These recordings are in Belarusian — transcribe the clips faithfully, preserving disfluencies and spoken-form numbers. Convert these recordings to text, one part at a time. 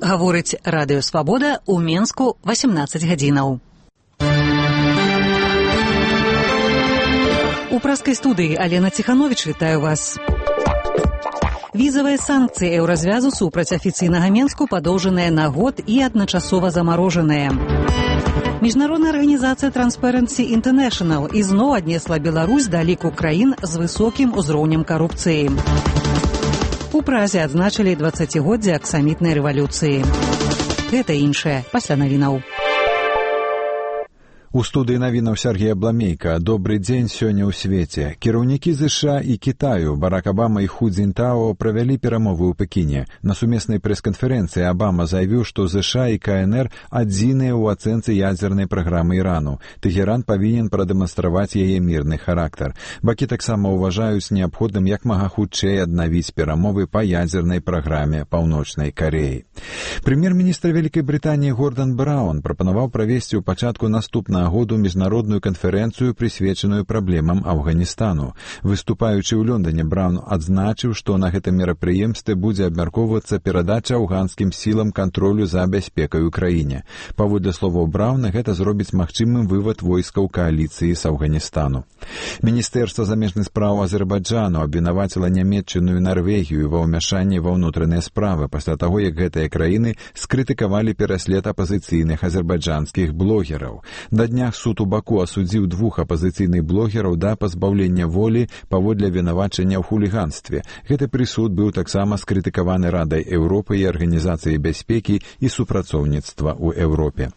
Гаворыць Радыё Свабода, у Менску васемнаццаць гадзінаў. У праскай студыі Алена Ціхановіч вітаю вас. Візавыя санкцыі еўразвязу супраць афіцыйнага Менску падоўжаныя на год і адначасова замарожаныя. Міжнародная арганізацыя Transparency International ізноў аднесла Беларусь да ліку краін з высокім узроўнем карупцыі. У Празе адзначылі дваццацігоддзе аксамітнай рэвалюцыі. Гэта іншае пасля навінаў. У студыі навінаў Сергей Абламейка. Добры дзень сёння ў свеце. Кіраўнікі ЗША і Кітаю Барак Абама і Ху Цзіньтао правялі перамовы ў Пекіне. На сумеснай прэс-канферэнцыі Абама заявіў, што ЗША і КНР адзіныя ў ацэнцы ядзернай праграмы Ірану. Тэхеран павінен прадэманстраваць яе мірны характар. Бакі таксама ўважаюць неабходным як мага хутчэй аднавіць перамовы па ядзернай праграме Паўночнай Кареі. Прэм'ер-міністр Вялікай Брытаніі Гордан Браўн прапанаваў правесці ў пачатку наступнага году міжнародную канферэнцыю, прысвечаную праблемам Афганістану. Выступаючы ў Лондоне, Браўн адзначыў, што на гэтым мерапрыемстве будзе абмяркоўвацца перадача афганскім сілам кантролю за бяспекай у краіне. Паводле словаў Браўна, гэта зробіць магчымым вывад войскаў кааліцыі з Афганістану. Міністэрства замежных спраў Азербайджану абвінаваціла Нямецчыну і Нарвегію ва ўмяшанні ва ўнутраныя справы пасля таго, як гэтыя краіны скрытыкавалі пераслед апазіцыйных азербайджанскіх блогераў. На днях суд у Баку асудзіў двух апазіцыйных блогераў да пазбаўлення волі паводле вінавачання ў хуліганстве. Гэты прысуд быў таксама скрытыкаваны Радай Еўропы і Арганізацыяй бяспекі і супрацоўніцтва ў Еўропе.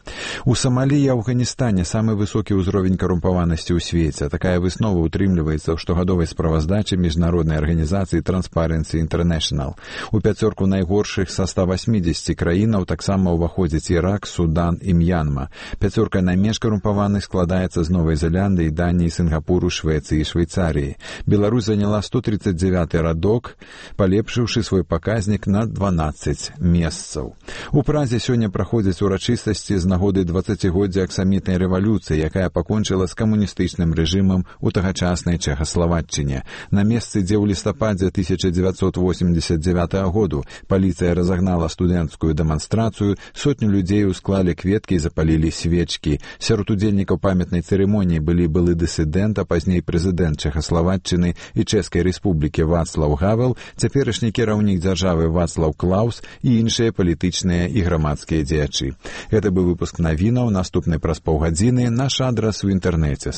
У Самалі і Афганістане самы высокі ўзровень карумпаванасці ў свеце. Такая выснова утрымліваецца ў штогадовай справаздачы міжнароднай арганізацыі Transparency International. У пяцёрку найгоршых са ста васьмідзесяці краінаў таксама ўваходзяць Ірак, Судан і М'янма. Пяцёрка найменш карумпаваных складаецца з Новай Зеландыі, Даніі, Сінгапуру, Швецыі і Швейцарыі. Беларусь заняла сто тридцать девяты радок, палепшыўшы свой паказнік на дванаццаць месцаў. У Празе сёння праходзяць урачыстасці з нагоды дваццацігоддзя аксамітнай рэвалюцыі, якая пакончыла з камуністычным рэжымам у тагачаснай Чэхаславаччыне. На месцы, дзе ў лістападзе тысяча дзевяцьсот восемьдесят девятага году паліцыя разагнала студэнцкую дэманстрацыю, сотню людзей усклалі кветкі і запалілі свечкі. Сярод удзельнікаў памятнай цырымоніі былі былы дысідэнт, а пазней прэзідэнт Чэхаславаччыны і Чэшскай рэспублікі Вацлаў Гавел, цяперашні кіраўнік дзяржавы Вацлаў Клаус і іншыя палітычныя і грамадскія дзеячы. Гэта быў выпуск навінаў. Наступны праз паўгадзіны. Наш адрас у інтэрнэце